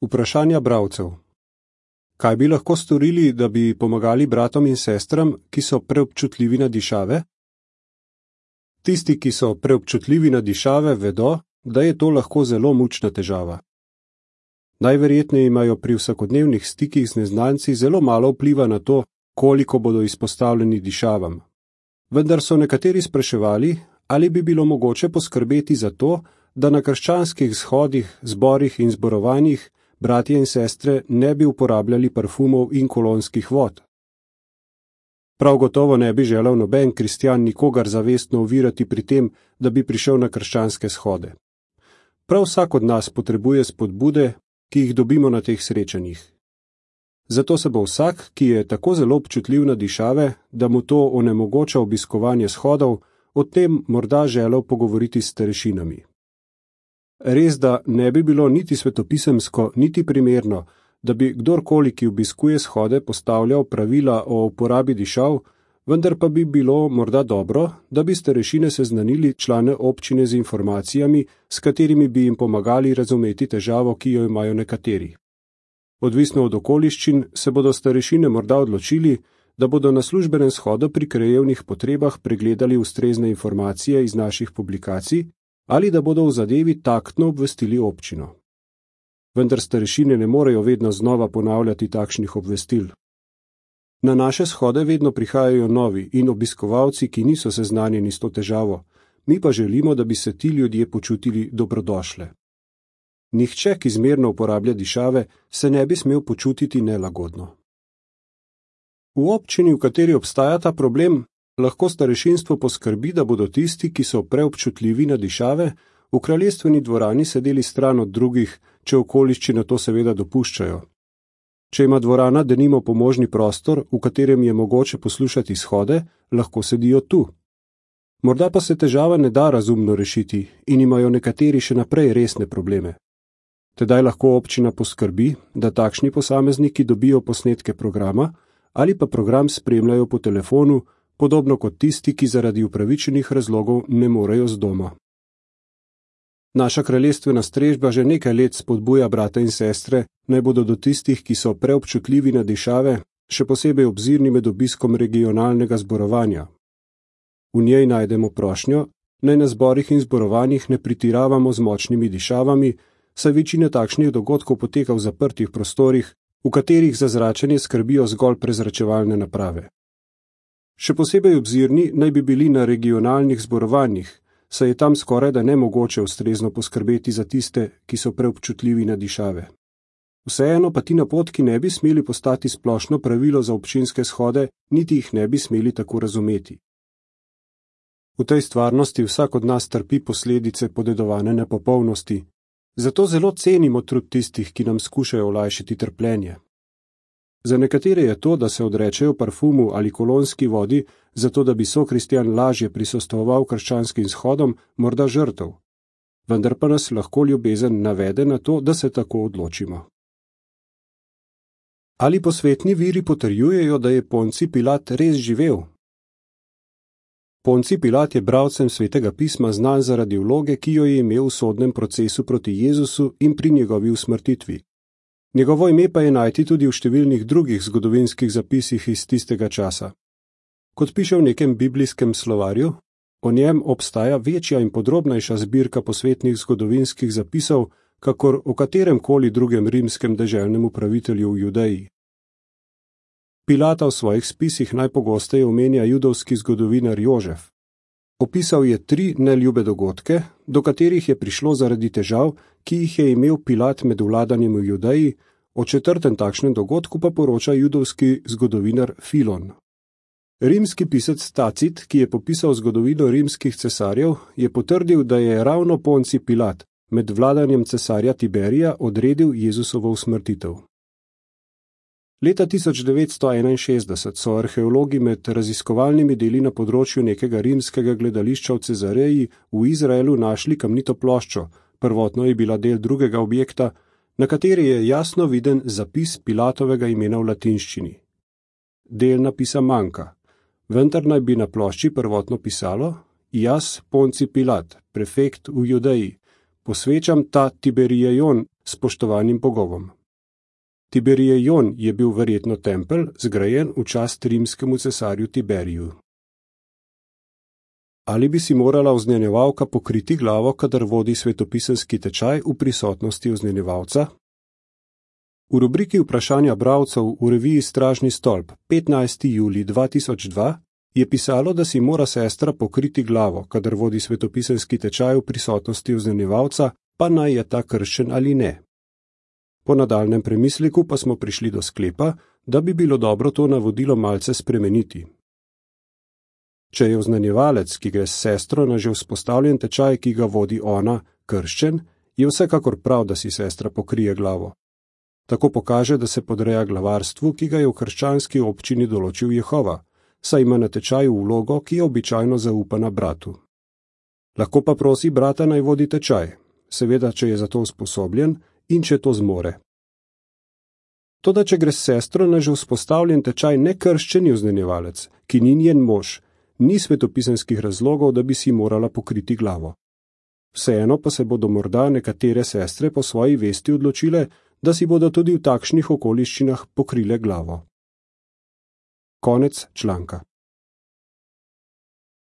Vprašanja bralcev. Kaj bi lahko storili, da bi pomagali bratom in sestram, ki so preobčutljivi na dišave? Tisti, ki so preobčutljivi na dišave, vedo, da je to lahko zelo mučna težava. Najverjetneje imajo pri vsakodnevnih stikih z neznanci zelo malo vpliva na to, koliko bodo izpostavljeni dišavam. Vendar so nekateri spraševali, ali bi bilo mogoče poskrbeti za to, da na krščanskih shodih, zborih in zborovanjih bratje in sestre ne bi uporabljali parfumov in kolonskih vod. Prav gotovo ne bi želel noben kristjan nikogar zavestno ovirati pri tem, da bi prišel na krščanske shode. Prav vsak od nas potrebuje spodbude, ki jih dobimo na teh srečanjih. Zato se bo vsak, ki je tako zelo občutljiv na dišave, da mu to onemogoča obiskovanje shodov, o tem morda želel pogovoriti s starešinami. Res, da ne bi bilo niti svetopisemsko, niti primerno, da bi kdorkoli, ki obiskuje shode, postavljal pravila o uporabi dišav, vendar pa bi bilo morda dobro, da bi starešine seznanili člane občine z informacijami, s katerimi bi jim pomagali razumeti težavo, ki jo imajo nekateri. Odvisno od okoliščin se bodo starešine morda odločili, da bodo na službenem shodu pri krajevnih potrebah pregledali ustrezne informacije iz naših publikacij ali da bodo v zadevi taktno obvestili občino. Vendar starešine ne morejo vedno znova ponavljati takšnih obvestil. Na naše shode vedno prihajajo novi in obiskovalci, ki niso seznanjeni s to težavo, mi pa želimo, da bi se ti ljudje počutili dobrodošle. Nihče, ki zmerno uporablja dišave, se ne bi smel počutiti nelagodno. V občini, v kateri obstaja ta problem, lahko starešinstvo poskrbi, da bodo tisti, ki so preobčutljivi na dišave, v kraljestveni dvorani sedeli stran od drugih, če okoliščine to seveda dopuščajo. Če ima dvorana denimo pomožni prostor, v katerem je mogoče poslušati shode, lahko sedijo tu. Morda pa se težava ne da razumno rešiti in imajo nekateri še naprej resne probleme. Tedaj lahko občina poskrbi, da takšni posamezniki dobijo posnetke programa ali pa program spremljajo po telefonu, podobno kot tisti, ki zaradi upravičenih razlogov ne morejo z doma. Naša kraljestvena strežba že nekaj let spodbuja brate in sestre, naj bodo do tistih, ki so preobčutljivi na dišave, še posebej obzirni med obiskom regionalnega zborovanja. V njej najdemo prošnjo, naj na zborih in zborovanjih ne pretiravamo z močnimi dišavami, saj večina takšnih dogodkov poteka v zaprtih prostorih, v katerih za zračenje skrbijo zgolj prezračevalne naprave. Še posebej obzirni naj bi bili na regionalnih zborovanjih, saj je tam skoraj da nemogoče ustrezno poskrbeti za tiste, ki so preobčutljivi na dišave. Vseeno pa ti napotki ne bi smeli postati splošno pravilo za občinske shode, niti jih ne bi smeli tako razumeti. V tej stvarnosti vsak od nas trpi posledice podedovane nepopolnosti, zato zelo cenimo trud tistih, ki nam skušajo olajšati trpljenje. Za nekatere je to, da se odrečejo parfumu ali kolonski vodi, zato da bi sokristjan lažje prisostoval krščanskim shodom, morda žrtev. Vendar pa nas lahko ljubezen navede na to, da se tako odločimo. Ali posvetni viri potrjujejo, da je Poncij Pilat res živel? Poncij Pilat je bralcem Svetega pisma znan zaradi vloge, ki jo je imel v sodnem procesu proti Jezusu in pri njegovi usmrtitvi. Njegovo ime pa je najti tudi v številnih drugih zgodovinskih zapisih iz tistega časa. Kot piše v nekem biblijskem slovarju, o njem obstaja večja in podrobnejša zbirka posvetnih zgodovinskih zapisov, kakor o katerem koli drugem rimskem deželnem upravitelju v Judeji. Pilata v svojih spisih najpogosteje omenja judovski zgodovinar Jožef. Opisal je 3 neljube dogodke, do katerih je prišlo zaradi težav, ki jih je imel Pilat med vladanjem v Judeji, o 4. takšnem dogodku pa poroča judovski zgodovinar Filon. Rimski pisec Tacit, ki je popisal zgodovino rimskih cesarjev, je potrdil, da je ravno Poncij Pilat med vladanjem cesarja Tiberija odredil Jezusovo usmrtitev. Leta 1961 so arheologi med raziskovalnimi deli na področju nekega rimskega gledališča v Cezareji v Izraelu našli kamnito ploščo, prvotno je bila del drugega objekta, na kateri je jasno viden zapis Pilatovega imena v latinščini. Del napisa manjka, vendar naj bi na plošči prvotno pisalo: Jaz, Poncij Pilat, prefekt v Judeji, posvečam ta Tiberijejon, spoštovanim bogovom. Tiberijejón je bil verjetno tempelj, zgrajen v čast rimskemu cesarju Tiberiju. Ali bi si morala oznanjevalka pokriti glavo, kadar vodi svetopisemski tečaj v prisotnosti oznanjevalca? V rubriki vprašanja bralcev v reviji Stražni stolp 15. julij 2002 je pisalo, da si mora sestra pokriti glavo, kadar vodi svetopisemski tečaj v prisotnosti oznanjevalca, pa naj je ta krščen ali ne. Po nadaljnjem premisleku pa smo prišli do sklepa, da bi bilo dobro to navodilo malce spremeniti. Če je oznanjevalec, ki gre s sestro na že vzpostavljen tečaj, ki ga vodi ona, krščen, je vsekakor prav, da si sestra pokrije glavo. Tako pokaže, da se podreja glavarstvu, ki ga je v krščanski občini določil Jehova, saj ima na tečaju vlogo, ki je običajno zaupana bratu. Lahko pa prosi brata naj vodi tečaj, seveda, če je za to usposobljen in če to zmore. Toda, če gre s sestro na že vzpostavljen tečaj nekrščeni oznanjevalec, ki ni njen mož, ni svetopisemskih razlogov, da bi si morala pokriti glavo. Vseeno pa se bodo morda nekatere sestre po svoji vesti odločile, da si bodo tudi v takšnih okoliščinah pokrile glavo. Konec članka.